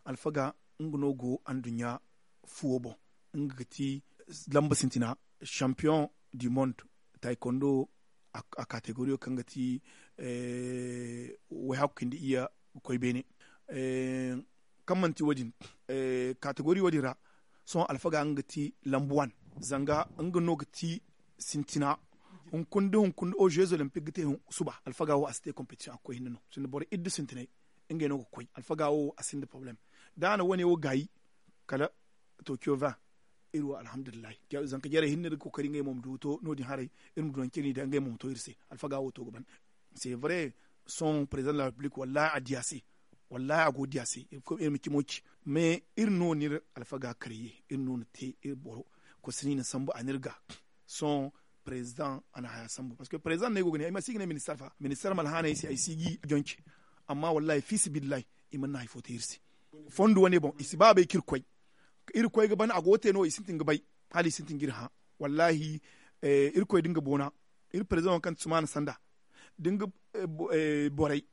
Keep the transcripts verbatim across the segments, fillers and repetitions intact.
Alfaga nga no go anduɲɲa fuwo boŋ. Nga ga ti lamba sintina, champion du monde, taekwondo a kategoriyo kaŋ ga ti way hakku cindi iyye ga koy beene. Kaŋ manti wo- din, kategoriyo din ra, sohõ alfaga nga ga ti lamba wan. Zanga nga no ga ti sintina. Hunkuna da hunkuna da o jeux olympique ga te suba, alfaga wo a si te competition a ga koy hinne no sinda boro iddu sintinay. Ngey no ga koy alfaga wo a sinda problème. Da a na wane wo gaayi, kala tokiyo vingt, iri wo alhamdulillahi. Zanka jarey hinne iri ga kookari ngey mo ma du ga to no- din haray. Iri ma du nangu kaŋ iri n'i daŋ ngey mo ma to iri se. Alfaga wo to ga ban. C'est vrai, sohõ président de la république wallahi a di a se. Wallahi a go ga di a se. Iri ma cimo ci. Mais iri no n'iri alfaga karye, iri no na te iri boro. Koy si no i na sambu a n'iri ga. Sohõ président a na haya sambu parce que président no ay go ga ne ay ma si ga ne ministar fa ministar ma alhaanay se ay si ga i jonce. Amma wallahi fiisabilillahi, i mana hari fo te iri se. Fondo wane boŋ i si ba bay kaŋ iri koy. Iri koy ga ban a go ga te no i sintin ga bay. Hala i sintin ga iri hã. Wallahi, iri koy da nga boona, iri président wo kaŋ ti sumaana sanda, da nga borey,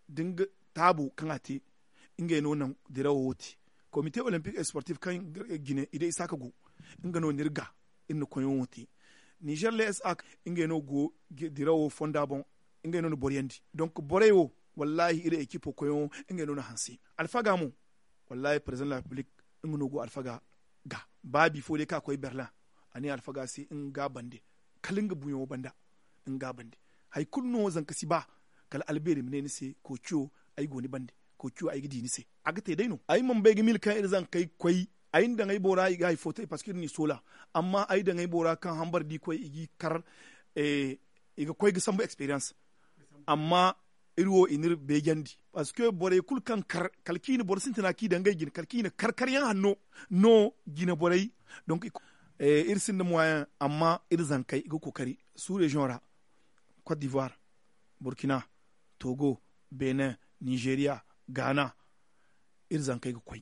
da nga taabo kaŋ a te. Ngey no naŋ dirawo wo te. Komite olympique et sportif kaŋ jine i day isa ka go. Nga no n'iri ga iri na koyyaŋo te. Nizer le s a, ngey no go dirawo fonda boŋ. Ngey no na boryandi donk borey wo, wallahi iri ekipo koyyaŋo, ngey no na hanse. Alfaga mo, wallahi président de la république, nga no go alfaga ga. Ba bifo day kaŋ a koy berlin, a ne alfaga se nga ga a bande. Kala nga buuyaŋo banda nga ga a bande. Hari kulu no zanka si ba. Kala albeeri ma ne ni se koociyo, ay go ni bande. Koociyo ay ga di ni se. A ga te day no ay mana bay ga mila kaŋ iri zankey ga koy. Ay na daŋ ay bora i ga hari fo te parceque iri n'i soola. Amma ay daŋ ay bora kaŋ hambara da i koy i g'i kar. I ga koy ga sambu experience. Amma iri wo i n'iri beejandi. Parceque borey kulu kaŋ kar kala kaŋ i na boro sintina kaŋ i daŋ ngey jine kala kaŋ i na kar karyaŋ hanno no jine borey. Donk iri sinda moyen amma iri zankey i ga kookari sous région ra, cote d'ivoire, burkina, togo, benin, nizeriya, gaana. Iri zankey ga koy.